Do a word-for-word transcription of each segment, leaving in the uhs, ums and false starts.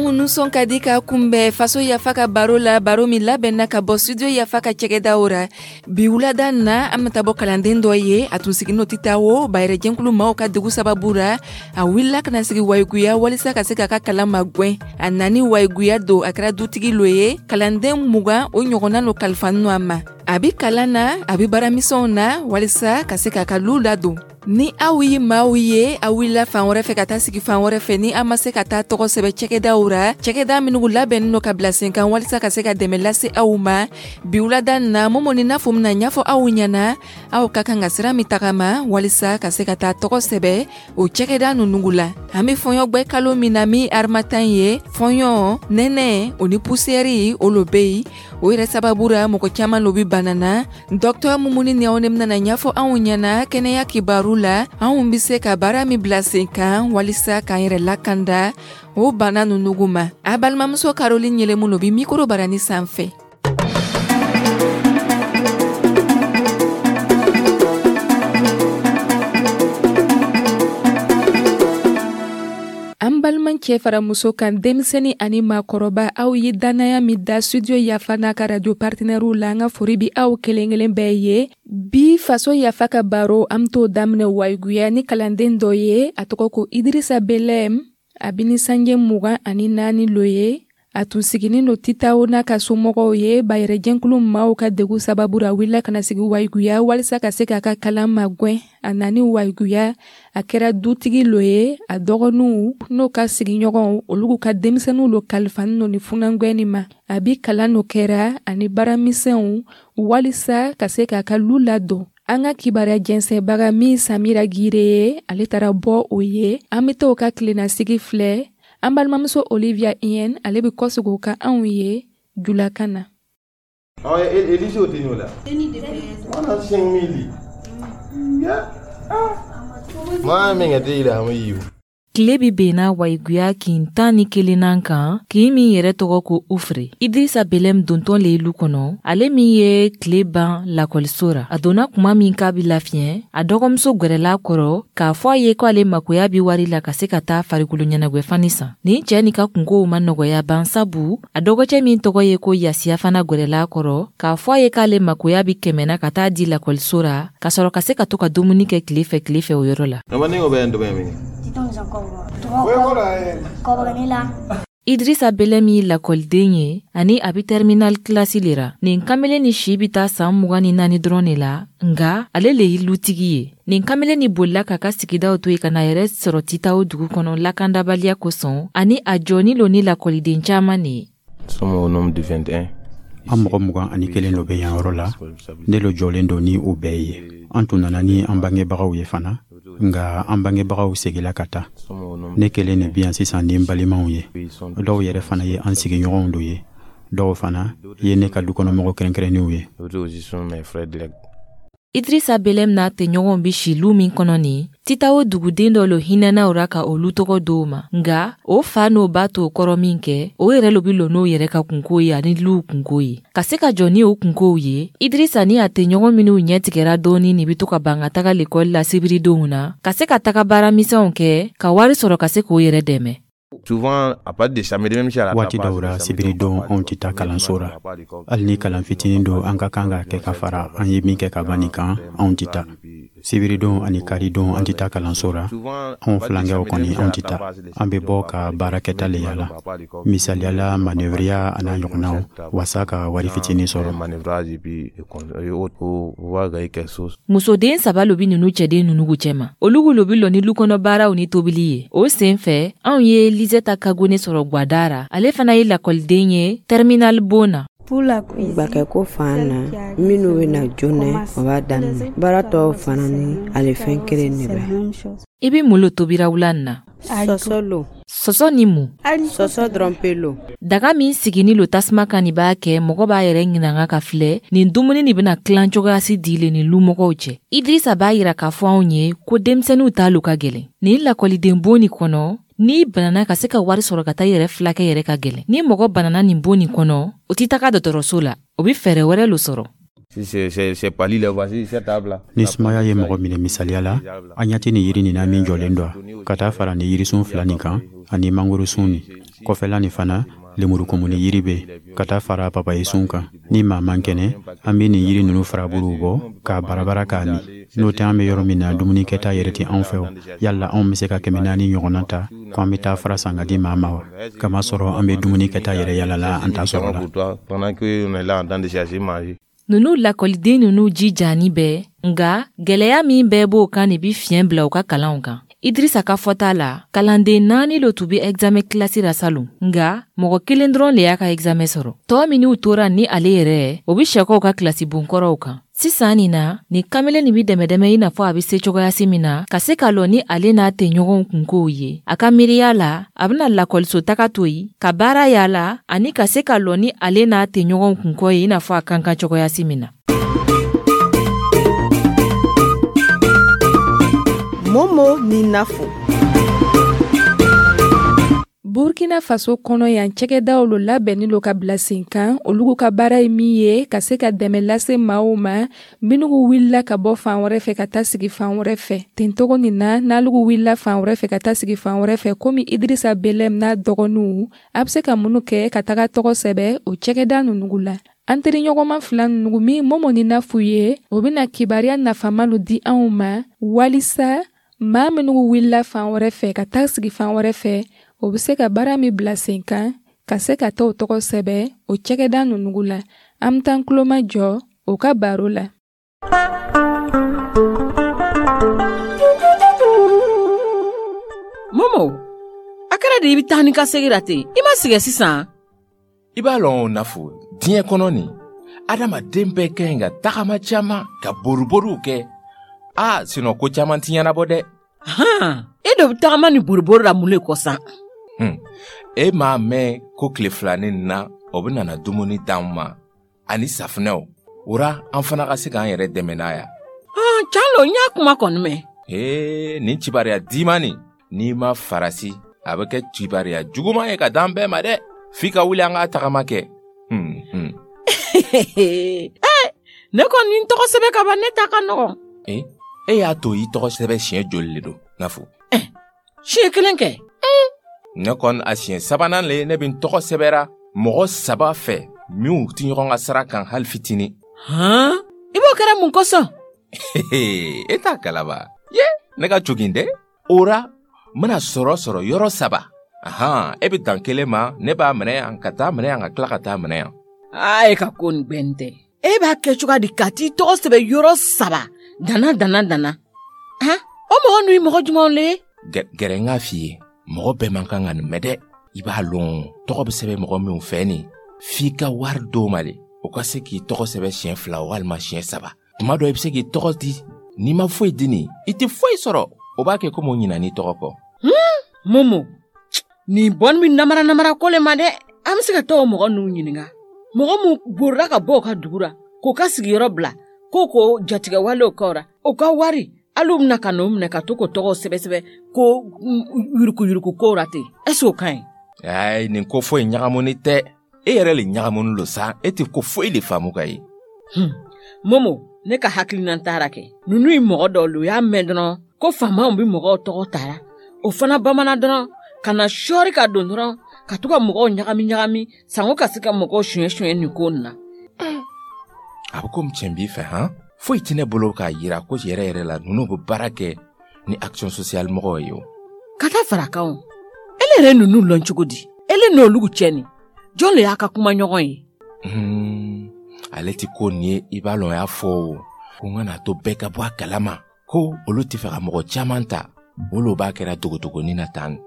Anw nisɔn ka di ka kunbɛn Faso Yafa ka baro la, baro min labɛnna ka bɔ Studio Yafa ka cɛgɛdaw ra. Bi wulada na, an bɛ taa bɔ kalanden dɔ ye. A tun siginin Titawo bayɛrɛjɛnkulu maaw ka degu sababu ra. A wulila ka na sigi Wayiguya walisa ka se k'a ka kalan magwɛn. A nani Wayiguya don, a kɛra dutigi lo ye. Kalanden mugan o ɲɔgɔnna no kalifanin a ma. A bi kalan na, a bi baaramisɛnw na walisa ka se k'a ka lu ladon. Ni aw ye maaw ye, aw wulila fan wɛrɛ fɛ ka taa sigi fan wɛrɛ fɛ, ni an ma se ka taa tɔgɔ sɛbɛ cɛgɛdaw ra, cɛgɛda minnu labɛnnen don ka bila sen kan walisa ka se ka dɛmɛ lase aw ma, bi wulada na, Mɔmɔni n'a fɔ mina ɲɛfɔ aw ɲɛna aw ka kan ka sira min tagama walisa ka se ka taa tɔgɔ sɛbɛ o cɛgɛda ninnu la. An be fɔɲɔgbɛ kalo min na, min harmattan ye, fɔɲɔ, nɛnɛ o ni pusiyɛri, o lo be yen. O yɛrɛ sababu ra, mɔgɔ caman lo bi bana na. Dɔktɔr Mumuni Niawo ne bɛna ɲɛfɔ anw ɲɛna kɛnɛya kibaru la, anw be se ka baara min bila sen kan walisa k'an yɛrɛ lakanda o bana nunu ma. A balimamuso Caroline Yelemu lo bi mikoro barani sanfɛ. An balimacɛ fara muso kan, denmisɛnnin ani maakɔrɔba, aw ye dannaya min da Studio Yafa n'a ka radio partenaires la, an ka fori bi aw kelen kelen bɛɛ ye. Bi Faso Yafa ka baro, an t'o daminɛ Wayiguya ni kalanden dɔ ye. A tɔgɔ ko Idirisa Belɛm. A bi ni sanje mugan ani naani lo ye. A tun siginin do Titawo n'a ka somɔgɔw ye. Bayɛrɛjɛnkulu maaw ka degu sababu ra, a wulila ka na sigi Wayiguya walisa ka se k'a ka kalan magwɛn. A nani Wayiguya, a kɛra dutigi lo ye. A dɔgɔninw n'o ka sigiɲɔgɔnw, olu ka denmisɛnninw lo kalifanin no ni funangwɛni ma. A bi kalan no kɛra ani baaramisɛnw walisa ka se k'a ka lu ladon. An ka kibaruya jɛnsɛnbaga min Samira Gire ye, ale taara bɔ o ye. An bɛ t'o ka tilennasigi filɛ. An balimamuso Olivia Yen, ale bɛ kɔsegin o kan anw ye julakan na. Oh, Elise o la. Wana cinq mille. Ya. Ma min ka te ila ma yiwu. Tile bi benna Wayiguya kin tan ni kelennan kan, kin min yɛrɛ tɔgɔ ko Ufre. Idrisa Belɛm dontɔn le lu kɔnɔ, ale min ye tile ban lakɔliso ra. A donna kuma min k'a bi lafiɲɛ, a dɔgɔmuso gwɛrɛla kɔrɔ k'a fɔ a ye ko ale makoya bi wari la ka se ka taa farikolo ɲɛnagwɛfani san. Nin cɛɛ ni ka kunkow ma nɔgɔya ban, sabu a dɔgɔcɛ min tɔgɔ ye ko Yasiya fana gwɛrɛla kɔrɔ k'a fɔ a ye k'ale makoya bi kɛmɛna ka taa di lakɔliso ra, ka sɔrɔ ka se ka to ka dumuni kɛ tile fɛ tile fɛ o yɔrɔ la. Idrisa Belɛm ye lakɔliden ye ani a bi terminal kilasi le ra. Nin kamalen ni si bi taa san mugan ni naani dɔrɔn de la, nga ale le ye lutigi ye. Nin kamalen ni bolila k'a ka sigidaw to yen ka na yɛrɛ sɔrɔ Titawo dugu kɔnɔ lakandabaliya kosɔn, ani a jɔni lo ni lakɔliden caman de ye. An mɔgɔ mugan ani kelen lo bɛ yan yɔrɔ la. Ne lo jɔlen don ni o bɛɛ ye. An tun nana ni an bangebagaw ye fana, nka an bangebagaw segila ka taa. Ne kelen de bi yan sisan ni n balimaw ye. Dɔw yɛrɛ fana ye an sigiɲɔgɔnw do ye, dɔw fana ye ne ka dukɔnɔmɔgɔ kɛrɛnkɛrɛnnenw ye. Idrisa Belɛm n'a tɛɲɔgɔnw bi si lu min kɔnɔ nin, Titawo duguden dɔ lo hinɛna o ra ka olu tɔgɔ d'o ma. Nga o fa n'o ba t'o kɔrɔ min kɛ, o yɛrɛ lo bi lɔ n'o yɛrɛ ka kunko ye ani luw kunko ye. Ka se ka jɔ ni o kunkow ye, Idrisa ni a tɛɲɔgɔn minw ɲɛ tigɛra dɔɔni nin bi to ka ban ka taga lekɔli la sibiridenw na, ka se ka taga baaramisɛnw kɛ ka wari sɔrɔ ka se k'o yɛrɛ dɛmɛ. Waati dɔw ra, sibiridon, anw tɛ taa kalanso ra. Hali ni kalan fitinin don an ka kan ka kɛ ka fara an ye min kɛ ka ban nin kan, anw tɛ taa. Sibiridon ani karidon, an tɛ taa kalanso ra. Anw filankɛw kɔni, anw tɛ taa. An bɛ bɔ ka baarakɛta le yala, misaliyala manœuvreya a n'a ɲɔgɔnnaw, wasa ka wari fitinin sɔrɔ. Musoden saba lo bi nunu cɛden nunugu cɛma. Olugu lo bi lɔ ni lukɔnɔ baaraw ni tobili ye. O sen fɛ, anw ye Liseta Kagone sɔrɔ gwada ra. Ale fana ye lakɔliden ye terminal bon na. Gbakɛko fan na, minnu bɛ na joona, o b'a daminɛ. Baara tɔw fana ni ale fɛn kelen de bɛ. I be mun lo tobira wula nin na? Sɔsɔ lo. Sɔsɔ ni mun? Sɔsɔ dɔrɔn pe lo. Daga min sigini lo tasuma kan nin b'a kɛ mɔgɔ b'a yɛrɛ ɲinanga ka filɛ nin dumuni nin bɛna tilan cogoya si dile ni lumɔgɔw cɛ. Idrisa b'a yira k'a fɔ anw ye ko denmisɛnninw t'a lo ka gɛlɛn. Nin lakɔliden bon nin kɔnɔ, n'i banana ka se ka wari sɔrɔ ka taa i yɛrɛ filakɛ yɛrɛ ka gɛlɛn. Ni mɔgɔ banana nin bon nin kɔnɔ, o tɛ taga dɔgɔtɔrɔso la, o bɛ fɛɛrɛ wɛrɛ lo sɔrɔ. Ni sumaya ye mɔgɔ minɛ, misaliya la, an ɲɛ tɛ nin yiri nin na min jɔlen don, ka taa fara ni yirisun fila nin kan ani mangorosun nin kɔfɛla nin fana, lemurukumuni yiri bɛ ka taa fara papayesun kan. Ni maa man kɛnɛ, an bɛ nin yiri ninnu faraburuw bɔ k'a barabara k'a min. N'o tɛ, an bɛ yɔrɔ min na, dumuni kɛta yɛrɛ tɛ anw fɛ. O yala anw bɛ se ka kɛmɛ naani ɲɔgɔnna ta ko an bɛ taa fara san ka di maa ma wa? Kamasɔrɔ an bɛ dumuni kɛta yɛrɛ yalala, an t'a sɔrɔ la. Nunu lakɔliden nunu jijani bɛɛ, nga gwɛlɛya min bɛɛ b'o kan de bi fiɲɛ bila u ka kalanw kan. Idrisa ka fɔta la, kalanden naani lo tun be examen kilasi ra salon, nga mɔgɔ kelen dɔrɔn le y'a ka examen sɔrɔ. Tɔɔ minw tora ni ale yɛrɛ, o be sɛkɔw ka kilasi bonkɔrɔw kan. Sisan nin na, nin kamalen nin bi dɛmɛdɛmɛ i n'a fɔ a be se cogoyasi min na ka se ka lɔ ni ale n'a tɛɲɔgɔnw kunkow ye. A ka miiriya la, a bena lakɔliso taga to yi ka baara yala ani ka se ka lɔ ni ale n'a tɛɲɔgɔnw kunkɔ ye i n'a fɔ a kan kan cogoyasi min na. Momo ni Nafo. Burkina Faso kɔnɔ yan, cɛgɛdaw lo labɛnni lo ka bila sen kan. Olugu ka baara ye min ye, ka se ka dɛmɛ lase maaw ma minnu wulila ka bɔ fan wɛrɛ fɛ ka taa sigi fan wɛrɛ fɛ. Ten togo nin na, n'alugu wulila fan wɛrɛ fɛ ka taa sigi fan wɛrɛ fɛ, komi Idrissa Belem n'a dɔgɔninw, a bɛ se ka minnu kɛ ka taga tɔgɔ sɛbɛ o cɛgɛda ninnu la. An teriɲɔgɔnma fila ninnu min Momo ni Nafu ye, o bɛna kibaruya nafama di anw ma walisa maa minnu wulila fan wɛrɛ fɛ ka taa sigi fan wɛrɛ fɛ, o bɛ se ka baara min bila sen kan ka se ka taa o tɔgɔ sɛbɛ o cɛgɛda ninnu la. An bɛ taa tuloma jɔ o ka baro la. Momo, a kɛra de i bɛ taa ni ka segin la ten, i ma sɛgɛn sisan? I b'a lɔn o Nafo, diɲɛ kɔnɔ nin, adamaden bɛɛ ka ɲi ka tagama caman, ka boriboriw kɛ. Aa, sinɔn ko caman ti ɲɛnabɔ dɛ. Han, e dɔ bɛ tagama ni boribori la mun le kɔ san? Hmm. E m'a mɛn ko tile filanin na, o bɛ nana dumuni d'an ma ani safunɛw. O ra, an fana ka se k'an yɛrɛ dɛmɛ n'a ya. Han, can lo, n y'a kuma kɔni mɛn. Ee, nin kibaruya diman nin, n'i ma farasi, a bɛ kɛ kibaruya juguman ye ka d'an bɛɛ ma dɛ. F'i ka wuli an k'a tagama kɛ. Hmm, hmm. Eh, ne kɔni n tɔgɔ sɛbɛn ka ban, ne ta ka nɔgɔn. Eh, e y'a to i tɔgɔ sɛbɛn siɲɛ joli le don, Nafo? Eh, siɲɛ kelen kɛ. Ne kɔni, a siɲɛ sabanan le ne bɛ n tɔgɔ sɛbɛra mɔgɔ saba fɛ minnu tɛ ɲɔgɔn ka sira kan hali fitinin. Han, i b'o kɛra mun kosɔn? E t'a kalaba. Ye, ne ka jogin dɛ. O ra, n bɛna sɔrɔ sɔrɔ yɔrɔ saba. Ahan, e bɛ dan kelen ma, ne b'a minɛ yan, ka taa minɛ yan, ka tila ka taa minɛ yan. Aa, e ka ko nin gbɛn tɛ. E b'a kɛ cogoya di ka t'i tɔgɔ sɛbɛn yɔrɔ saba dana dana dana? Han, o mɔgɔ ninnu ye mɔgɔ jumɛnw le ye? Gɛrɛ n k'a f'i ye, mɔgɔ bɛɛ man kan ka nin mɛn dɛ. I b'a lɔn, tɔgɔ bɛ sɛbɛn mɔgɔ minnu fɛ nin, f'i ka wari d'o ma de, o ka se k'i tɔgɔ sɛbɛn siɲɛ fila walima siɲɛ saba. Tuma dɔ i bɛ se k'i tɔgɔ di, n'i ma foyi di nin, i tɛ foyi sɔrɔ. O b'a kɛ komi o ɲinan'i tɔgɔ kɔ. Momo, nin bɔnni bɛ namara namara ko le ma dɛ. An bɛ se ka taa o mɔgɔ ninnu ɲininka. Mɔgɔ mun borila ka bɔ o ka dugu la, k'o ka sigiyɔrɔ bila, k'o ko jatigɛwalew kɛ o la, o ka wari, hali u bɛna ka n'o minɛ ka to k'o tɔgɔ sɛbɛ sɛbɛ ko yurukuyuruku kow la ten. Est-ce que o ka ɲi? Ayi, nin ko foyi ɲagamuni tɛ. E yɛrɛ le ɲagamuni lo sa, e tɛ ko foyi de faamu ka ye. Hmm. Momo, ne ka hakilina taara kɛ. Ninnu ye mɔgɔ dɔw le, u y'a mɛn dɔrɔn ko faamaw bɛ mɔgɔw tɔgɔ tara. O fana bamanan dɔrɔn ka na sɔɔri ka don dɔrɔn ka to ka mɔgɔw ɲagami ɲagami sango ka se ka mɔgɔw suɲɛ suɲɛ nin ko nin na. A bɛ komi tiɲɛ b'i fɛ han? Foyi tɛ ne bolo k'a yira ko yɛrɛ yɛrɛ la ninnu bɛ baara kɛ ni action sociale mɔgɔw ye o. Ka taa fara kan o. Ele yɛrɛ ninnu lɔn cogo di? Ele n'olu cɛ nin, jɔn le y'a ka kuma ɲɔgɔn ye? Hmm, ale ti ko nin ye, i b'a lɔn, y'a fɔ o ko n kana to bɛɛ ka bɔ a kalama ko olu tɛ fɛ ka mɔgɔ caman ta, olu b'a kɛra dogodogonin na tan.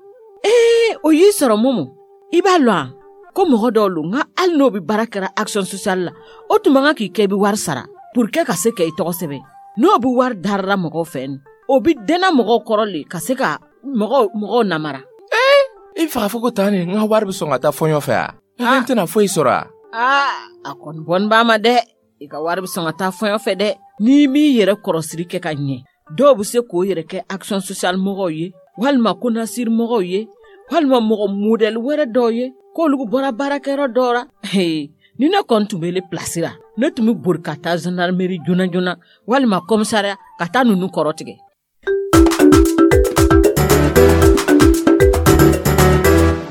Ee, o y'i sɔrɔ Momo. I b'a lɔn a ko mɔgɔ dɔw lo, nka hali n'o bɛ baara kɛra action sociale la, o tun man kan k'i kɛ i bɛ wari sara pour que ka se ka i tɔgɔ sɛbɛn. N'o bɛ wari darara mɔgɔw fɛ nin, o bɛ dɛnna mɔgɔw kɔrɔ le ka se ka mɔgɔw mɔgɔw namara. Ee, i faga fɔ ko tan nin, n ka wari bɛ sɔn ka taa fɔɲɔ fɛ a? N tɛna foyi sɔrɔ a? Aa, a kɔni bɔnni b'a ma dɛ. I ka wari bɛ sɔn ka taa fɔɲɔ fɛ dɛ. N'i m'i yɛrɛ kɔrɔsiri kɛ ka ɲɛ, dɔw bɛ se k'o yɛrɛ kɛ action sociale mɔgɔw ye, walima konasiri mɔgɔw ye, walima mɔgɔ modɛli wɛrɛ dɔw ye, k'olu bɔra baarakɛyɔrɔ dɔw la. Ni Ni ne kɔni tun bɛ ele pilasi la, ne tun bɛ bori ka taa gendarmerie joona joona walima commissariat ka taa ninnu kɔrɔ tigɛ.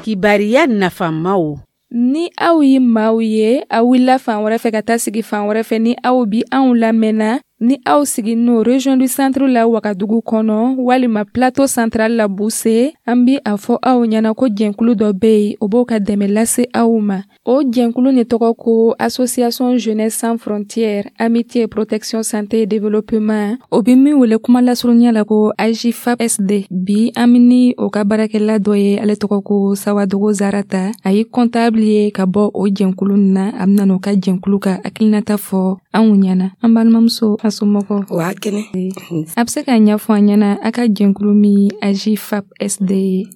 Kibariya nafamaw. Ni aw ye maaw ye, aw wulila fan wɛrɛ fɛ ka taa sigi fan wɛrɛ fɛ, ni aw bi anw lamɛnna, ni aw siginin région du centre la Wagadugu kɔnɔ walima plateau central la Buse, an bi a fɔ aw ɲɛna ko jɛnkulu dɔ bɛ yen, o b'o ka dɛmɛ lase aw ma. O jɛnkulu ni tɔgɔ ko Association Jeunesse Sans Frontières, Amitié, Protection, Santé et Développement. O bi min wele kuma lasurunya la ko A J F A P S D. Bi an ni o ka baarakɛla dɔ ye, ale tɔgɔ ko Sawadogo Zarata. A ye comptable ye ka bɔ o jɛnkulu na. A bɛna n'o ka jɛnkulu ka hakilinata fɔ anw ɲɛna. An balimamuso, a somɔgɔw? Wa kɛnɛ. A bɛ se k'a ɲɛfɔ an ɲɛna, a ka jɛnkulu min A J F A P S D ye,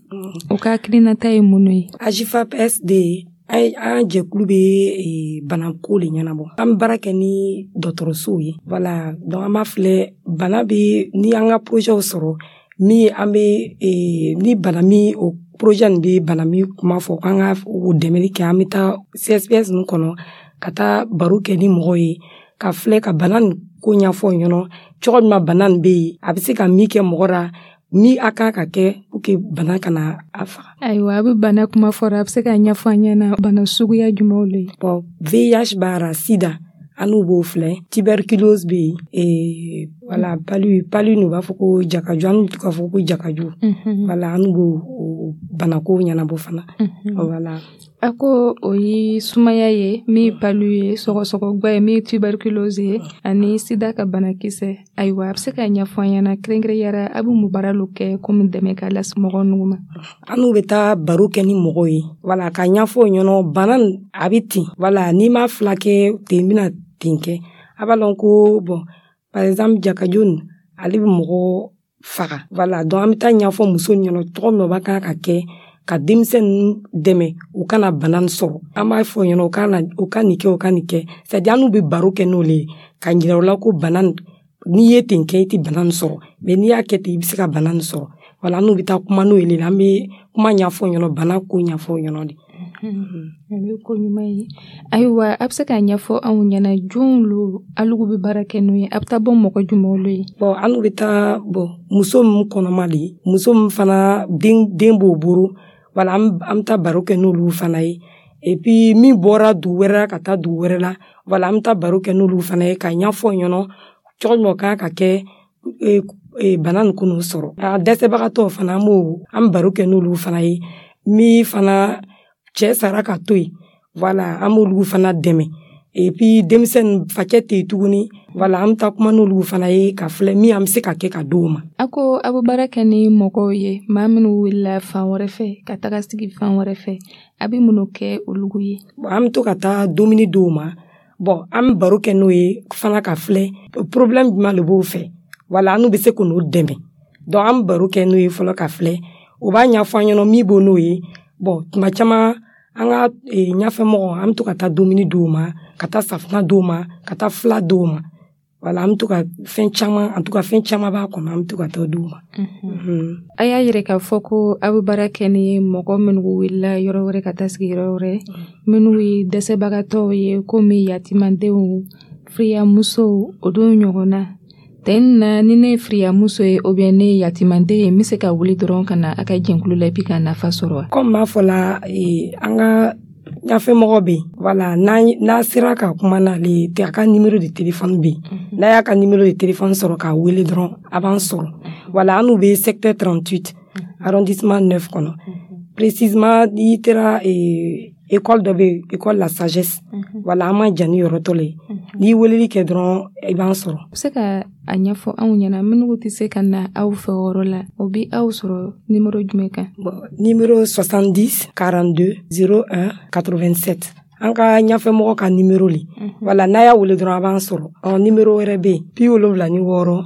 o ka hakilinata ye mun ye? A J F A P S D, an jɛkulu bɛ banako le ɲɛnabɔ. An bɛ baara kɛ ni dɔgɔtɔrɔsow ye. Voilà, donc an b'a filɛ bana bɛ ni an ka projetw sɔrɔ min an bɛ ni bana min, o projet nin bɛ bana min kuma fɔ k'an ka o dɛmɛli kɛ, an bɛ taa C S P S ninnu kɔnɔ ka taa baro kɛ ni mɔgɔw ye, ka filɛ ka bana nin ko ɲɛfɔ ɲɛna, cogo min na bana nin bɛ yen, a bɛ se ka min kɛ mɔgɔ la, ni a kan ka kɛ pour que bana kana a faga. Ayiwa, a bɛ bana kuma fɔra, a bɛ se ka ɲɛfɔ an ɲɛna bana suguya jumɛnw le ye? Bon, V I H b'a la, sida an n'u b'o filɛ, tuberculose bɛ yen, voilà, palu palu n'u b'a fɔ ko jakaju, an n'u k'a fɔ ko jakaju. Voilà, an n'u b'o banako ɲɛnabɔ fana. Voilà. A ko o ye sumaya ye, min ye palu ye, sɔgɔsɔgɔgba ye, min ye tuberculose ye, ani sida ka banakisɛ. Ayiwa, a bɛ se ka ɲɛfɔ an ɲɛna kɛrɛnkɛrɛnyara, a bɛ mun baara lo kɛ komi dɛmɛ ka lase mɔgɔ ninnu ma? An n'u bɛ taa baro kɛ ni mɔgɔw ye, voilà, ka ɲɛfɔ o ɲɛna bana a bɛ ten, voilà, n'i m'a fila kɛ ten, bɛna ten kɛ. A b'a lɔn ko bon, par exemple jakaju nin, ale bɛ mɔgɔ faga. Voilà, donc an bɛ taa ɲɛfɔ muso ɲɛna cogo min na o b'a kan ka kɛ ka denmisɛn ninnu dɛmɛ u kana bana nin sɔrɔ. An b'a fɔ ɲɛna u ka na, u ka nin kɛ, u ka nin kɛ, c'est à dire an n'u bɛ baro kɛ n'o le ye, ka yira u la ko bana n'i ye ten kɛ, i tɛ bana nin sɔrɔ, mais n'i y'a kɛ ten, i bɛ se ka bana nin sɔrɔ. Voilà, an n'u bɛ taa kuma n'o ye le, an bɛ kuma ɲɛfɔ ɲɛna, bana ko ɲɛfɔ ɲɛna de. O ye ko ɲuman ye. Ayiwa, a bɛ se k'a ɲɛfɔ anw ɲɛna jɔnw lo alugu bɛ baara kɛ n'o ye? A bɛ taa bɔ mɔgɔ jumɛnw lo ye? Bon, an n'u bɛ taa bon muso min kɔnɔma de ye, muso min fana den den b'o bolo. Voilà, an bɛ taa baro kɛ n'olu fana ye. Et puis min bɔra dugu wɛrɛ la ka taa dugu wɛrɛ la, voilà, an bɛ taa baro kɛ n'olu fana ye, ka ɲɛfɔ ɲɛna cogo min o kan ka kɛ bana nin kun'o sɔrɔ. A dɛsɛbagatɔw fana, an b'o an bɛ baro kɛ n'olu fana ye. Min fana cɛ sara ka to yen, voilà, an b'olu fana dɛmɛ. Et puis denmisɛnnin facɛ tɛ yen tuguni, voilà, an bɛ taa kuma n'olu fana ye, ka filɛ min an bɛ se ka kɛ ka d'o ma. A ko a bɛ baara kɛ ni mɔgɔw ye, maa minnu wulila fan wɛrɛ fɛ ka taga sigi fan wɛrɛ fɛ, a bɛ minnu kɛ olu ye? Bon, an bɛ to ka taa dumuni d'o ma. Bon, an bɛ baro kɛ n'o ye fana, ka filɛ problème jumɛn de b'o fɛ, voilà, an n'u bɛ se k'o dɛmɛ. Donc an bɛ baro kɛ n'o ye fɔlɔ, ka filɛ o b'a ɲɛfɔ an ɲɛna min b'o n'o ye. Bon, tuma caman an ka ɲɛfɛmɔgɔ, an bɛ to ka taa dumuni d'o ma, ka taa safunɛ d'o ma, ka taa fila d'o ma. Voilà, an bɛ to ka fɛn caman, en tout cas fɛn caman b'a kɔnɔ, an bɛ to ka taa d'u ma. A y'a yira k'a fɔ ko aw bɛ baara kɛ ni mɔgɔ minnu wulila yɔrɔ wɛrɛ ka taa sigi yɔrɔ wɛrɛ, minnu ye dɛsɛbagatɔw ye, komi yatimadenw, firiyamusow, o don ɲɔgɔn na. Ten na, ni ne ye firiyamuso ye ou bien ne ye yatimaden ye, n bɛ se ka wuli dɔrɔn ka na a ka jɛnkulu la et puis ka nafa sɔrɔ wa? Comme m'a fɔ la, an ka ɲɛfɛmɔgɔ bɛ yen, voilà, n'a sera ka kuma n'ale ye, a ka numéro de téléphone bɛ yen. N'a y'a ka numéro de téléphone sɔrɔ k'a wele dɔrɔn, a b'an sɔrɔ. Voilà, an n'u bɛ secteur trente-huit, arrondissement neuf kɔnɔ. Précisément, n'i taara école dɔ bɛ yen, école La Sagesse, voilà, an ma jan ni yɔrɔ tɔ le ye. N'i weleli kɛ dɔrɔn, i b'an sɔrɔ. A bɛ se ka a ɲɛfɔ anw ɲɛna, minnu tɛ se ka na aw fɛ o yɔrɔ la, o bɛ aw sɔrɔ numéro jumɛn kan? Bon, numéro soixante-dix quarante-deux zéro un quatre-vingt-sept, an ka ɲɛfɛmɔgɔ ka numéro le. Voilà, n'a y'a wele dɔrɔn, a b'an sɔrɔ. Ɔ numéro wɛrɛ bɛ yen, bi wolonwula ni wɔɔrɔ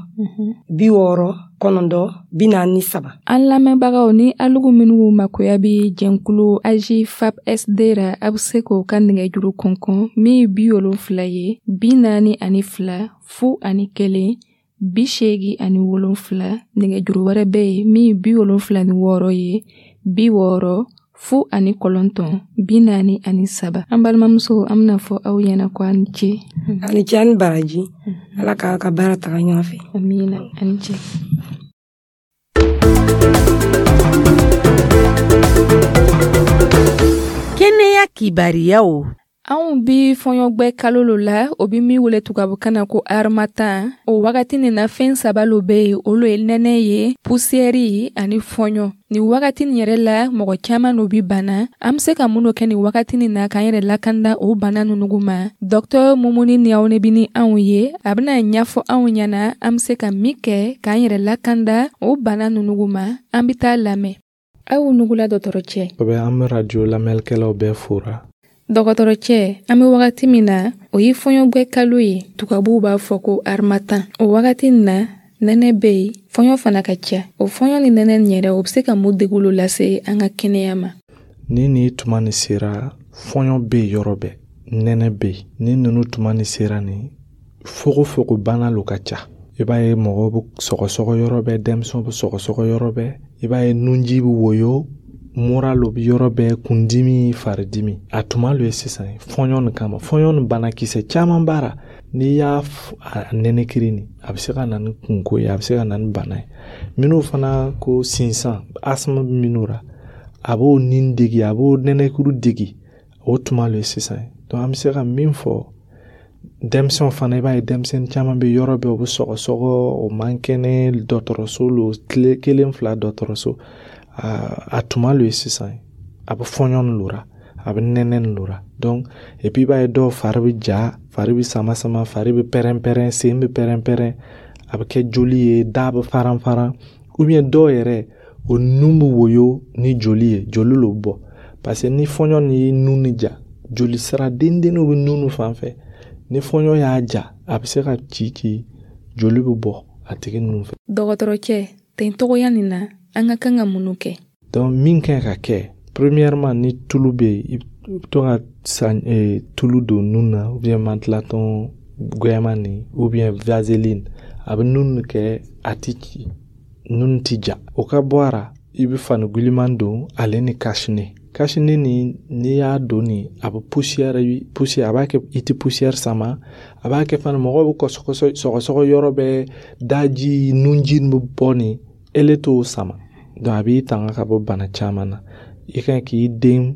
bi wɔɔrɔ kɔnɔntɔn bi naani ni saba. An lamɛnbagaw ni alugu minnu makoya bɛ jɛnkulu A J F A P S D ra, a bɛ se k'o ka nɛgɛjuru kɔnkɔn min ye bi wolonfila ye bi naani ani fila fu ani kelen bi seegin ani wolonfila. Nɛgɛjuru wɛrɛ bɛ yen min ye bi wolonfila ni wɔɔrɔ ye bi wɔɔrɔ fu ani kɔlɔntɔn bi naani ani saba. An balimamuso, an bɛna fɔ aw ɲɛna ko a ni ce. A ni ce, a ni baraji. Ala k'a ka baara taga ɲɔgɔn fɛ. Amina, a ni ce. Kɛnɛya kibariyaw. Anw bi fɔɲɔgbɛ kalo lo la, o bi min wele tubabukan na ko harmattan. O wagati nin na, fɛn saba lo bɛ yen, olu ye nɛnɛ ye, pusiyɛri ani fɔɲɔ. Nin wagati nin yɛrɛ la, mɔgɔ caman lo bi bana. An be se ka mun kɛ nin wagati nin na k'an yɛrɛ lakanda o bana nunu ma? Dɔktɔr Mumuni Niyawune bi ni anw ye, a bɛna ɲɛfɔ anw ɲɛna an be se ka min kɛ k'an yɛrɛ lakanda o bana nunu ma. An be taa lamɛn. Aw nugula dɔgɔtɔrɔ cɛ. An bɛ radio lamɛnnikɛlaw bɛɛ fora. Dɔgɔtɔrɔ cɛ, an bɛ wagati min na, o ye fɔɲɔgbɛ kalo ye, tubabuw b'a fɔ ko harmattan. O wagati in na, nɛnɛ bɛ yen, fɔɲɔ fana ka ca. O fɔɲɔ ni nɛnɛ nin yɛrɛ, o bɛ se ka mun degun lo lase an ka kɛnɛya ma? Ni nin tuma nin sera, fɔɲɔ bɛ yen yɔrɔ bɛɛ, nɛnɛ bɛ yen. Ni ninnu tuma nin sera nin, fogofogo bana lo ka ca. I b'a ye mɔgɔw bɛ sɔgɔsɔgɔ yɔrɔ bɛɛ, denmisɛnw bɛ sɔgɔsɔgɔ yɔrɔ bɛɛ. I b'a ye nunji bɛ woyo, mura lo bɛ yɔrɔ bɛɛ, kundimi, faridimi. A tuma lo ye sisan fɔɲɔ nin kama. Fɔɲɔ nin banakisɛ caman b'a ra. N'i y'a nɛnɛkiri nin, a bɛ se ka na ni kunko ye, a bɛ se ka na ni bana ye. Minnu fana ko sinsan, asthme bɛ minnu ra, a b'o nin degi, a b'o nɛnɛkiri degi. O tuma lo ye sisan. Donc an bɛ se ka min fɔ denmisɛnw fana, i b'a ye denmisɛnnin caman bɛ yɔrɔ bɛɛ, u bɛ sɔgɔsɔgɔ, o man kɛnɛ, dɔgɔtɔrɔso lo, tile kelen fila dɔgɔtɔrɔso. A tuma lo ye sisan, a bɛ fɔɲɔ nin lora, a bɛ nɛnɛ nin lora. Donc et puis i b'a ye dɔw fari bɛ ja, fari bɛ sama sama, fari bɛ pɛrɛn pɛrɛn, sen bɛ pɛrɛn pɛrɛn, a bɛ kɛ joli ye, da bɛ faran faran. Ou bien dɔw yɛrɛ o nun bɛ woyo ni joli ye, joli lo bɔ. Parce que ni fɔɲɔ nin ye nun ni ja, joli sira dendenninw bɛ nun fan fɛ. Ni fɔɲɔ y'a ja, a bɛ se ka ci ci, joli bɛ bɔ a tigi nun fɛ. Dɔgɔtɔrɔ cɛ, ten togoya nin na, an ka kan ka mun kɛ? Donc min kan ka kɛ, premièrement, ni tulu bɛ yen, i bɛ to ka san tulu don nun na, ou bien mantelatɔn gwɛman nin, ou bien vaseline, a bɛ nun kɛ a ti ci, nun ti ja. O ka bɔ a ra, i bɛ fani giliman don ale ni cache-nez. Cache-nez nin, n'i y'a don nin, a bɛ poussière poussière, a b'a kɛ i tɛ poussière sama, a b'a kɛ fana mɔgɔw bɛ kɔsɔkɔsɔ sɔgɔsɔgɔ yɔrɔ bɛɛ, daji nunji bɛ bɔ nin, ele t'o sama. Donc a b'i tanga ka bɔ bana caman na. I kan k'i den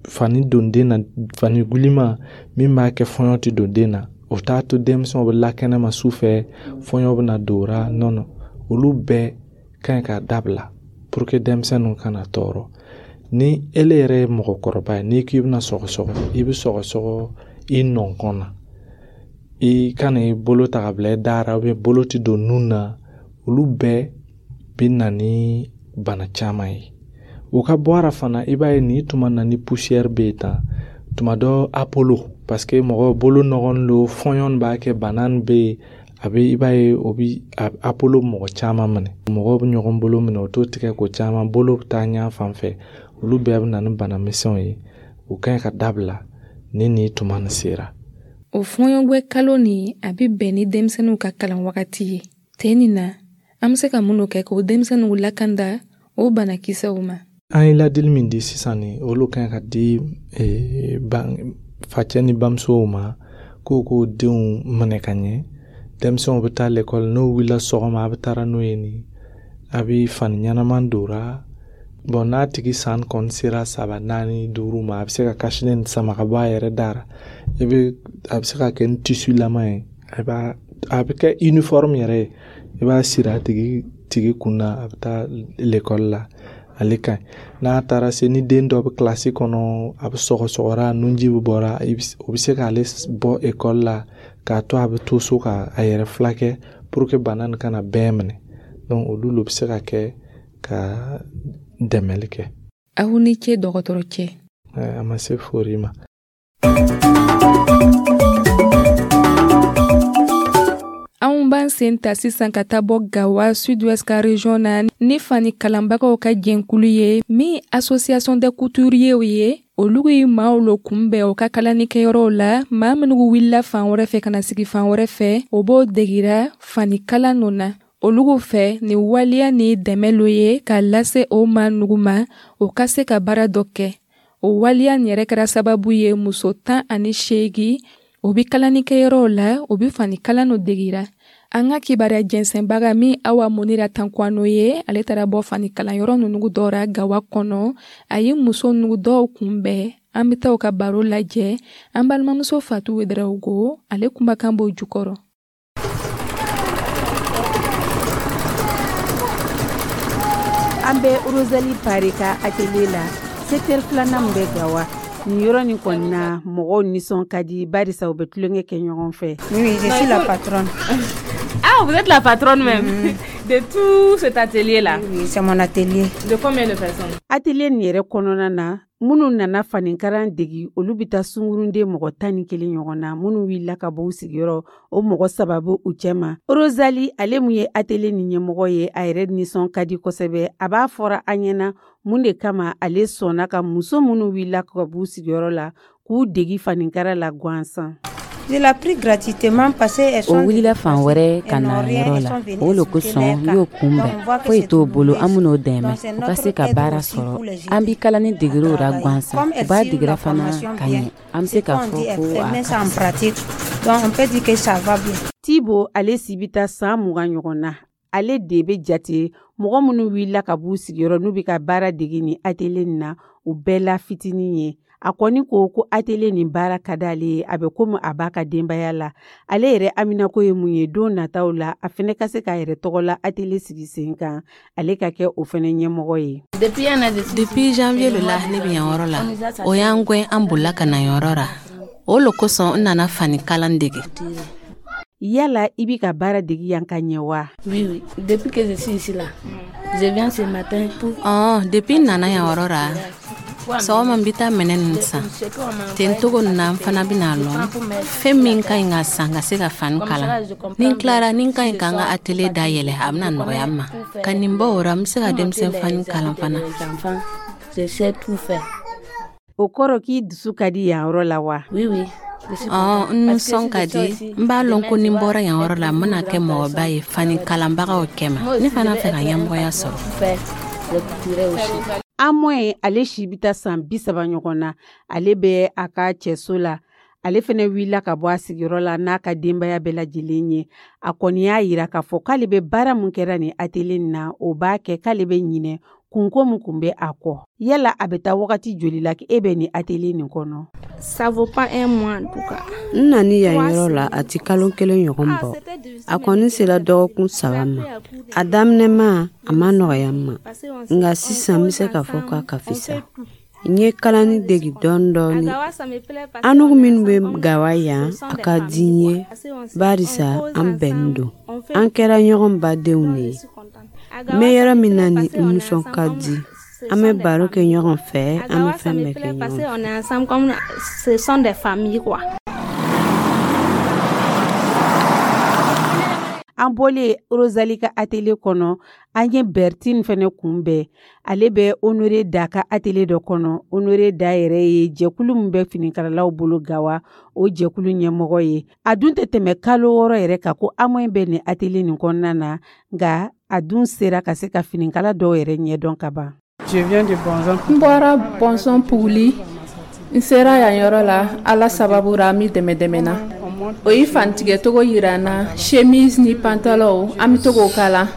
fani don den na, fani giliman min b'a kɛ fɔɲɔ tɛ don den na. O t'a to denmisɛnw bɛ lakɛnɛ ma su fɛ, fɔɲɔ bɛ na don o ra. Non non, olu bɛɛ ka ɲi ka dabila pour que denmisɛnninw kana tɔɔrɔ. Ni ele yɛrɛ ye mɔgɔkɔrɔba ye, n'i k'i bɛna sɔgɔsɔgɔ, i bɛ sɔgɔsɔgɔ i nɔnkɔn na. I kana i bolo ta ka bila i da ra, ou bien bolo tɛ don nun na. Olu bɛɛ bɛ na ni bana caman ye. O ka bɔ a ra fana, i b'a ye nin tuma na ni poussière bɛ yen tan, tuma dɔ apolo, parce que mɔgɔ bolo nɔgɔlen don, fɔɲɔ b'a kɛ, bana bɛ yen, a bɛ i b'a ye o bɛ apolo mɔgɔ caman minɛ. Mɔgɔw bɛ ɲɔgɔn bolo minɛ, o t'o tigɛ ko caman, bolo bɛ taa ɲɛ fan fɛ. Olu bɛɛ bɛ na ni bana misɛnw ye. O ka ɲi ka dabila ni nin tuma nin sera. O fɔɲɔgbɛ kalo nin, a bɛ bɛn ni denmisɛnninw ka kalan wagati ye. Ten nin na, an bɛ se ka mun kɛ k'o denmisɛnninw lakanda o banakisɛw ma? An ye ladili min di sisan nin, olu ka ɲi ka di facɛ ni bamusow ma, k'o k'o denw minɛ ka ɲɛ. Denmisɛnw bɛ taa lekɔli, n'o wulila sɔgɔma, a bɛ taara n'o ye nin, a bɛ fani ɲɛnama don ra. Bon, n'a tigi san kɔni sera saba, naani, duuru ma, a bɛ se ka cache-nez nin sama ka bɔ a yɛrɛ da ra. I bɛ a bɛ se ka kɛ ni tissu lama ye, a b'a a bɛ kɛ uniforme yɛrɛ ye. I b'a siri a tigi tigi kun na, a bɛ taa lekɔli la, ale ka ɲi. N'a taara se, ni den dɔ bɛ kilasi kɔnɔ, a bɛ sɔgɔsɔgɔra, nunji bɛ bɔra, o bɛ se k'ale bɔ ekɔli la k'a to a bɛ to so ka a yɛrɛ filakɛ pour que bana nin kana bɛɛ minɛ. Donc olu lo bɛ se ka kɛ ka dɛmɛli kɛ. Aw ni ce dɔgɔtɔrɔ cɛ. A ma se fori ma. Anw b'an sen ta sisan ka taa bɔ Gawa Sud-Ouest ka région na ni fani kalanbagaw ka jɛnkulu ye min association des couturiers ye. Olu ye maaw lo kunbɛn u ka kalanikɛyɔrɔw la, maa minnu wulila fan wɛrɛ fɛ ka na sigi fan wɛrɛ fɛ, o b'o degira fani kalan ninnu na. Olugu fɛ ni waleya ni dɛmɛ lo ye k'a lase o ma nugu ma o ka se ka baara dɔ kɛ. O waleya nin yɛrɛ kɛra sababu ye muso tan ani seegin o bi kalanikɛyɔrɔw la o bi fani kalan no degira. An ka kibaruya jɛnsɛnbaga min Awa Munira Tankwano ye, ale taara bɔ fani kalanyɔrɔ ninnu dɔ ra Gawa kɔnɔ. A ye muso ninnu dɔw kunbɛn. An bɛ taa u ka baro lajɛ. An balimamuso Fatu Wedarawogo, ale kumakan b'o jukɔrɔ. An bɛ Rosalie Pare ka atelier la, secteur filanan min bɛ Gawa. Nin yɔrɔ nin kɔni na, mɔgɔw nisɔn ka di barisa u bɛ tulonkɛ kɛ ɲɔgɔn fɛ. Oui, je suis la patronne. Ah, vous êtes la patronne même mm-hmm. de tout cet atelier-là. Oui, c'est mon atelier. De combien de personnes? Atelier nin yɛrɛ kɔnɔna na, minnu nana fanikaran degi, olu bɛ taa sungurunden mɔgɔ tan ni kelen ɲɔgɔn na. Minnu wulila ka bɔ u sigiyɔrɔ, o mɔgɔ saba bɛ u cɛma. Rosalie, ale mun ye atelier nin ɲɛmɔgɔ ye, a yɛrɛ nisɔn ka di kosɛbɛ. A b'a fɔra an ɲɛna mun de kama ale sɔnna ka muso minnu wulila ka b'u sigiyɔrɔ la k'u degi fanikara la gansan. Je l'ai pris gratuitement parce qu'elles O wulila fan wɛrɛ ka na yɔrɔ la, o le kosɔn n y'o kunbɛn. Foyi t'o bolo, an ben'o dɛmɛ u ka se ka baara sɔrɔ. An bi kalani degiriw ra gansan, u b'a digira fana ka ɲɛ. An be se k'a fɔ ko a ka Tibo, ale si bɛ taa san mugan ɲɔgɔn na. Ale de bɛ jate mɔgɔ minnu wulila ka b'u sigiyɔrɔ n'u bɛ ka baara degi ni atelier nin na, u bɛɛ la fitinin ye. A kɔni ko ko atelier nin baara ka d'ale ye, a bɛ komi a b'a ka denbaya la. Ale yɛrɛ aminako ye mun ye don nataw la, a fɛnɛ ka se k'a yɛrɛ tɔgɔ la atelier sigi sen kan, ale ka kɛ o fɛnɛ ɲɛmɔgɔ ye. Depuis janvier le la ne bɛ yan yɔrɔ la, o y'an gwɛn an bolila ka na yɔrɔ la. O le kosɔn n nana fani kalan dege. Yala i bi ka baara degi yan ka ɲɛ wa? Oui, oui. Depuis que je suis ici là, je viens ce matin pour... Ɔn, depuis n nana yan yɔrɔ la, sɔgɔma n bɛ taa minɛn ninnu san. Ten togo nin na n fana bɛna lɔn fɛn min ka ɲi ka san ka se ka fani kalan. Ni n tilara, ni n ka ɲi ka n ka atelier dayɛlɛ, a bɛna nɔgɔya n ma. Ka nin bɔ o ra, n bɛ se ka denmisɛn fani kalan fana. Je sais tout faire. O kɔrɔ k'i dusu ka di yan yɔrɔ la wa? Oui, oui. Ɔn, n nisɔn ka di. N b'a lɔn ko ni n bɔra yan yɔrɔ la, n bɛna kɛ mɔgɔba ye fani kalanbagaw kɛma. Ne fana fɛ ka ɲɛmɔgɔya sɔrɔ. Amoye, ale si bɛ taa san bi saba ɲɔgɔn na. Ale bɛ a ka cɛso la. Ale fɛnɛ wulila ka bɔ a sigiyɔrɔ la n'a ka denbaya bɛɛ lajɛlen ye. A kɔni y'a yira k'a fɔ k'ale bɛ baara mun kɛra nin atelier nin na, o b'a kɛ k'ale bɛ ɲinɛ kunko min kun bɛ a kɔ. Yala a bɛ taa wagati joli la e bɛ nin atelier nin kɔnɔ? Ça vaut pas un mois en tout cas. N nani yan yɔrɔ la, a ti kalo kelen ɲɔgɔn bɔ. A kɔni sera dɔgɔkun saba ma. A daminɛma, a ma nɔgɔya n ma, nka sisan n bɛ se k'a fɔ k'a ka fisa. N ye kalani degi dɔɔni dɔɔni. Anugu minnu bɛ Gawa yan, a ka di n ye barisa an bɛnnen don. An kɛra ɲɔgɔn badenw de ye. N bɛ yɔrɔ min na ni n nisɔn ka di. An bɛ baro kɛ ɲɔgɔn fɛ, an bɛ fɛn bɛɛ kɛ ɲɔgɔn fɛ. On est ensemble comme ce sont des familles quoi. An bɔlen Rosalie ka atelier kɔnɔ, an ye Bertine fɛnɛ kunbɛn. Ale bɛ Honore Da ka atelier dɔ kɔnɔ. Honore Da yɛrɛ ye jɛkulu min bɛ finikalalaw bolo Gawa, o jɛkulu ɲɛmɔgɔ ye. A dun tɛ tɛmɛ kalo wɔɔrɔ yɛrɛ kan ko Amoye bɛ nin atelier nin kɔnɔna na, nka a dun sera ka se ka finikala dɔw yɛrɛ ɲɛdɔn ka ban. N bɔra Bɔnsɔn Puguli. N sera yan yɔrɔ la Ala sababu ra, an bɛ dɛmɛ dɛmɛ na. O ye fanitigɛcogo yira n na, chemise ni pantalon, an bɛ to k'o kala.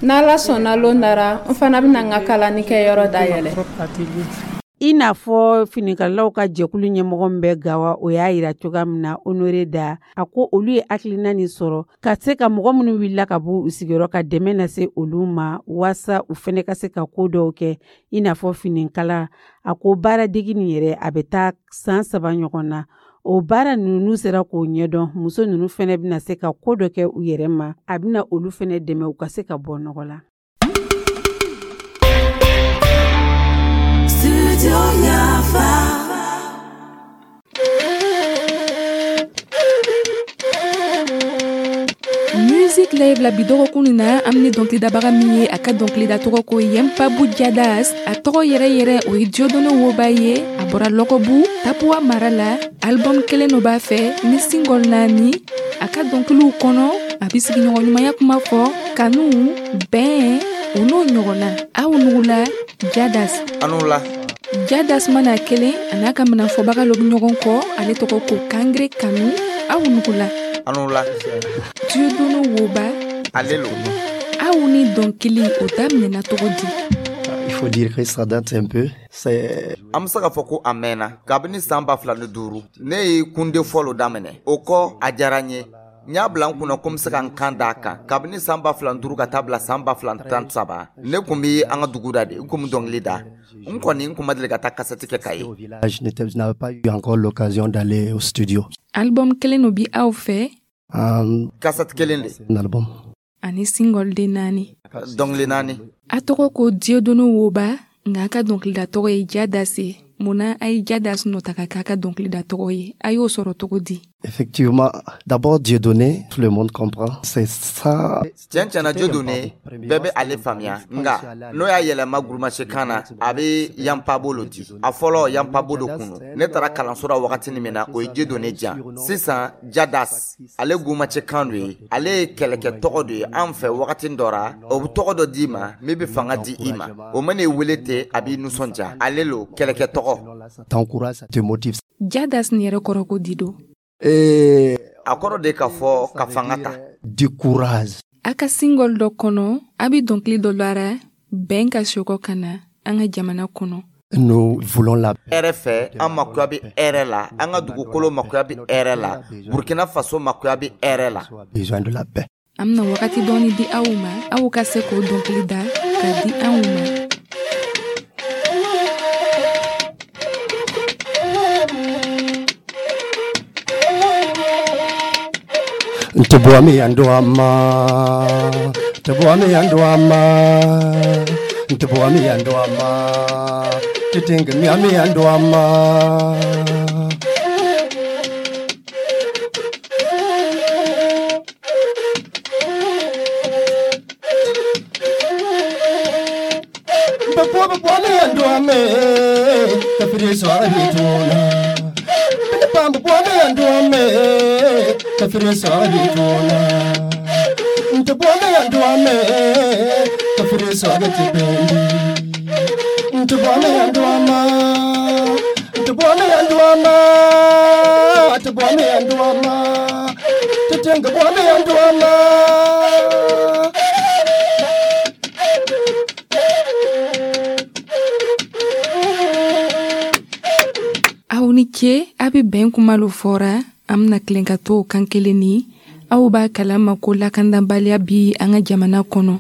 N'Ala sɔnna lon nara, n fana bɛna n ka kalani kɛyɔrɔ dayɛlɛ. I n'a fɔ finikalalaw ka jɛkulu ɲɛmɔgɔ min bɛ Gawa, o y'a yira cogoya min na, Honore Da, a ko olu ye hakilina nin sɔrɔ ka se ka mɔgɔ minnu wulila ka bɔ u sigiyɔrɔ ka dɛmɛ lase olu ma, waasa u fɛnɛ ka se ka ko dɔw kɛ i n'a fɔ finikala. A ko baaradegi nin yɛrɛ, a bɛ taa san saba ɲɔgɔn na. O baara ninnu, n'u sera k'o ɲɛdɔn, muso ninnu fɛnɛ bɛna se ka ko dɔ kɛ u yɛrɛ ma. A bɛna olu fɛnɛ dɛmɛ u ka se ka bɔ nɔgɔ la. Music Live la bi dɔgɔkun nin na, an bɛ ni dɔnkilidabaga min ye, a ka dɔnkilida tɔgɔ ko Yenpabu Jadas. A tɔgɔ yɛrɛ yɛrɛ o ye Diodone Woba ye. A bɔra Lɔkɔbu Tapuwa mara la. Album kelen no b'a fɛ ni single naani. A ka dɔnkiliw kɔnɔ, a bɛ sigiɲɔgɔnɲumanya kuma fɔ, kanu, bɛn, o n'o ɲɔgɔnna. Aw nugula Jadas. Anu la. Jadas mana kelen a n'a ka minɛnfɔbaga lo bɛ ɲɔgɔn kɔ, ale tɔgɔ ko Kangere Kanu. Aw nugula. Anu la. Dieudonné Woba. Ale lo. Aw ni dɔnkili o daminɛna cogo di? Il faut dire que ça date un peu. C'est An bɛ se k'a fɔ ko a mɛnna kabini san ba fila ni duuru ne ye kunde fɔlɔ daminɛ. O kɔ, a diyara n ye, n y'a bila n kunna ko n bɛ se ka n kan d'a kan. Kabini san ba fila ni duuru ka taa bila san ba fila ni tan ni saba, ne kun bɛ an ka dugu da de, n kun bɛ dɔnkili da. N kɔni, n kun ma deli ka taa kasɛti kɛ ka ye. Je n'étais- je n'avais pas eu encore l'occasion d'aller au studio. Album kelen no bi aw fɛ? Um, Kasɛti kelen de. Un album. Ani single den naani. Dɔnkili naani. A tɔgɔ ko Dieudonné Woba, nka a ka dɔnkilida tɔgɔ ye Jadas ye. Munna a ye Jadas nɔ ta ka k'a ka dɔnkilida tɔgɔ ye? A y'o sɔrɔ cogo di? Effectivement, d'abord Dieudonné, tout le monde comprend. C'est ça. Tiɲɛ tiɲɛna, Dieudonné, bɛɛ bɛ ale faamuya, nka n'o y'a yɛlɛma gurumasikan na, a bɛ yanpabo lo di. A fɔlɔ, yanpabo de kun don. Ne taara kalanso la wagati min na, o ye Dieudonné diyan. Sisan Jadas, ale gurumasikan do ye, ale ye kɛlɛkɛ tɔgɔ de ye an fɛ. Wagati dɔ ra, o bɛ tɔgɔ dɔ d'i ma min bɛ fanga di i ma. O mana i wele ten, a b'i nisɔndiya. Ale lo kɛlɛkɛ tɔgɔ. Ça t'encourage, ça te motive. Jadas nin yɛrɛ kɔrɔ ko di do? Et A kɔrɔ de k'a fɔ ka fanga ta. Du courage. A ka single dɔ kɔnɔ, a bɛ dɔnkili dɔ lara bɛn ka sokɔ ka na an ka jamana kɔnɔ. Nous voulons la Hɛrɛ fɛ, an makoya bɛ hɛrɛ la, an ka dugukolo makoya bɛ hɛrɛ la, Burkina Faso makoya bɛ hɛrɛ la. Besoin de la paix. An bɛna wagati dɔɔni di aw ma, aw ka se k'o dɔnkili da ka di anw ma. Ntibuami anduama, ntibuami anduama, ntibuami anduama, titingi miami anduama. Babuwa babuami anduame, kafiri swara bituna. Bamba buami anduame, kafiri swara bituna. Ntibuami anduame, kafiri swara tibendi. Ntibuami anduama, ntibuami anduama, ntibuami anduama, titinga buami anduama. Aw ni ce, a bɛ bɛn kuma lo fɔra. An bɛna tilen ka to o kan kelen ni aw b'a kalama ko lakanabaliya bi an ka jamana kɔnɔ.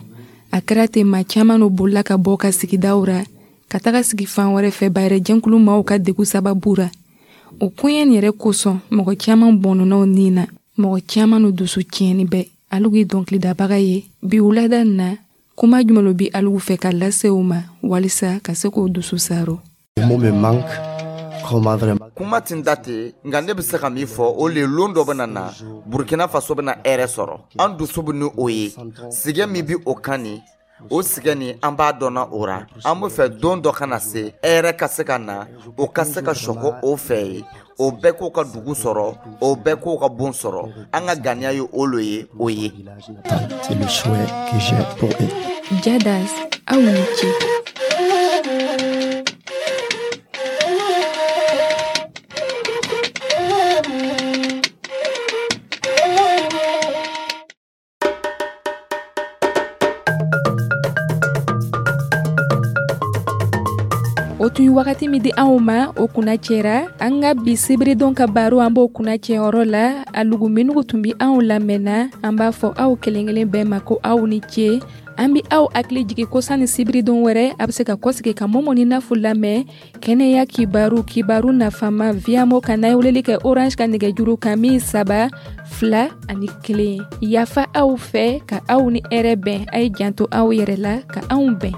A kɛra ten, maa caman no bolila ka bɔ ka sigidaw ra ka taga sigi fan wɛrɛ fɛ bayɛrɛ jɛnkulu maaw ka degu sababu ra. O koɲɛ nin yɛrɛ kosɔn, mɔgɔ caman bɔnɔnaw nin na, mɔgɔ caman no dusu tiɲɛni bɛɛ. Alugu ye dɔnkilidabaga ye. Bi wulada nin na, kuma jumɛn lo bi alugu fɛ ka lase o ma walisa ka se k'o dusu saro? Le mot me manque. Comment vraiment? Kuma tin da ten, nka ne bɛ se ka min fɔ, o le lon dɔ bɛna na, Burkina Faso bɛna hɛrɛ sɔrɔ. An dusu bɛ ni o ye. Sigɛ min bɛ o kan nin, o sigɛ nin, an b'a dɔnna o ra. An bɛ fɛ don dɔ ka na se, hɛrɛ ka se ka na, o ka se ka sɔkɔ o fɛ ye, o bɛɛ k'o ka dugu sɔrɔ, o bɛɛ k'o ka bon sɔrɔ. An ka ganiya ye o lo ye, o ye. C'est le souhait que j'ai pour eux. Jadas, aw ni ce. O tun ye wagati min di anw ma, o kunna cɛra. An ka bi sibiridon ka baro, an b'o kunna cɛyɔrɔ la. A lugu minnugu tun bi anw lamɛnna, an b'a fɔ aw kelen kelen bɛɛ ma ko aw ni ce. An bi aw hakili jigi ko sanni sibiridon wɛrɛ, a bɛ se ka kɔsigi ka Momo ni Nafu lamɛn kɛnɛya kibaru, kibaru nafama Viamo kan, n'a ye weleli kɛ Orange ka nɛgɛjuru kan min saba fila ani kelen. Yafa aw fɛ ka aw ni hɛrɛ bɛn. A ye janto aw yɛrɛ la ka anw bɛn.